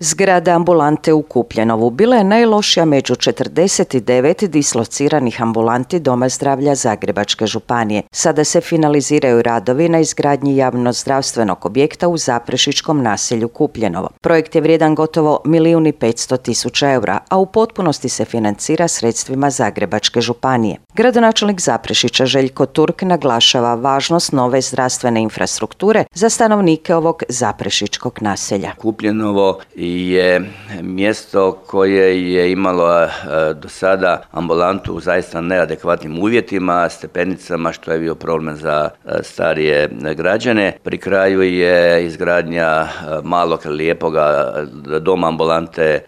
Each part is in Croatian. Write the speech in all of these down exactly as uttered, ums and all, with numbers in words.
Zgrada ambulante u Kupljenovu bila je najlošija među četrdeset devet dislociranih ambulanti Doma zdravlja Zagrebačke županije. Sada se finaliziraju radovi na izgradnji javnozdravstvenog objekta u Zaprešićkom naselju Kupljenovo. Projekt je vrijedan gotovo milijun i petsto tisuća eura, a u potpunosti se financira sredstvima Zagrebačke županije. Gradonačelnik Zaprešića Željko Turk naglašava važnost nove zdravstvene infrastrukture za stanovnike ovog zaprešićkog naselja. Kupljenovo je mjesto koje je imalo do sada ambulantu u zaista neadekvatnim uvjetima, stepenicama, što je bio problem za starije građane. Pri kraju je izgradnja malog lijepoga doma ambulante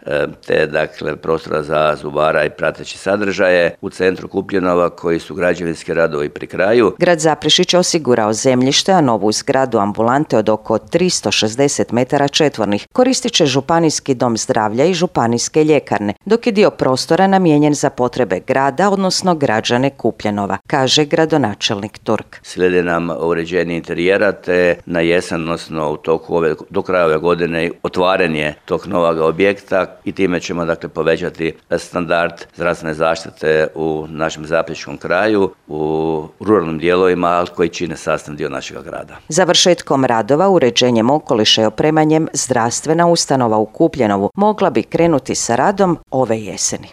te dakle prostora za zubara i prateći sadržaje u centru Kupljenova koji su građevinski radovi pri kraju. Grad Zaprešić osigurao zemljište, a novu zgradu ambulante od oko tristo šezdeset metara četvornih koristit će Županijski dom zdravlja i županijske ljekarne, dok je dio prostora namijenjen za potrebe grada, odnosno građane Kupljenova, kaže gradonačelnik Turk. Slijede nam uređenje interijera te na jesen, odnosno u toku ove, do kraja ove godine otvaranje tog novog objekta i time ćemo dakle povećati standard zdravstvene zaštite u našem zaprešićkom kraju, u ruralnim dijelovima, ali koji čine sastavni dio našeg grada. Završetkom radova, uređenjem okoliša i opremanjem zdravstvena ustanova u Kupljenovu mogla bi krenuti sa radom ove jeseni.